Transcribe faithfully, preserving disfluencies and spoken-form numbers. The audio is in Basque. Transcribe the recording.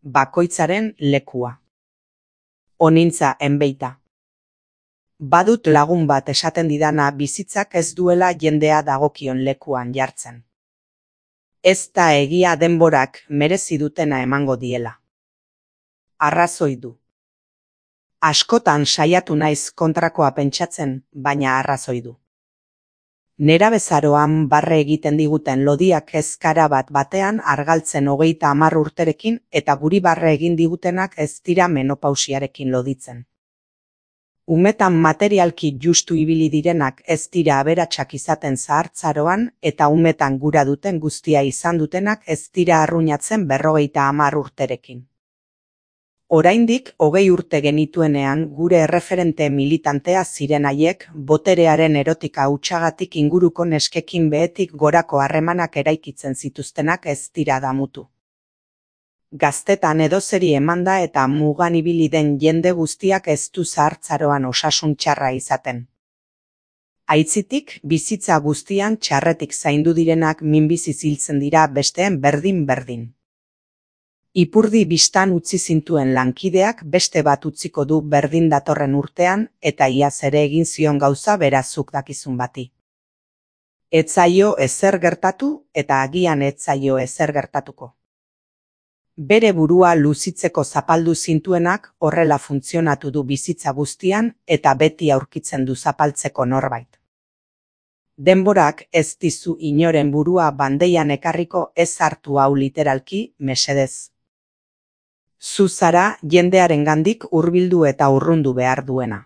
bakoitzaren lekua. Onintza enbeita. Badut lagun bat esaten didana bizitzak ez duela jendea dagokion lekuan jartzen. Ez da egia denborak merezi dutena emango diela. Arrazoi du. Askotan saiatu naiz kontrakoa pentsatzen, baina arrazoi du. Nerabezaroan barre egiten diguten lodiak ezkara bat batean argaltzen hogeita hamar urterekin eta guri barre egin digutenak ez dira menopausiarekin loditzen. Umetan materialki justu ibili direnak ez dira aberatsak izaten zahartzaroan eta umetan gura duten guztia izan dutenak ez dira arruinatzen berrogeita hamar urterekin. Oraindik hogei urte genituenean gure erreferente militantea ziren haiek boterearen erotika hutsagatik inguruko neskekin behetik gorako harremanak eraikitzen zituztenak ez dira damutu. Gaztetan edozeri emanda eta mugan ibili den jende guztiak ez du zahartzaroan osasun txarra izaten. Aitzitik, bizitza guztian txarretik zaindu direnak minbiziz hiltzen dira besteen berdin-berdin. Ipurdi bistan utzi zintuen lankideak beste bat utziko du berdin datorren urtean eta iaz ere egin zion gauza berazuk dakizun bati. Ez zaio ezer gertatu eta agian ez zaio ezer gertatuko. Bere burua luzitzeko zapaldu zintuenak horrela funtzionatu du bizitza guztian eta beti aurkitzen du zapaltzeko norbait. Denborak ez dizu inoren burua bandeian ekarriko ez hartu hau literalki, mesedez. Zu zara jendearengandik hurbildu eta urrundu behar duena.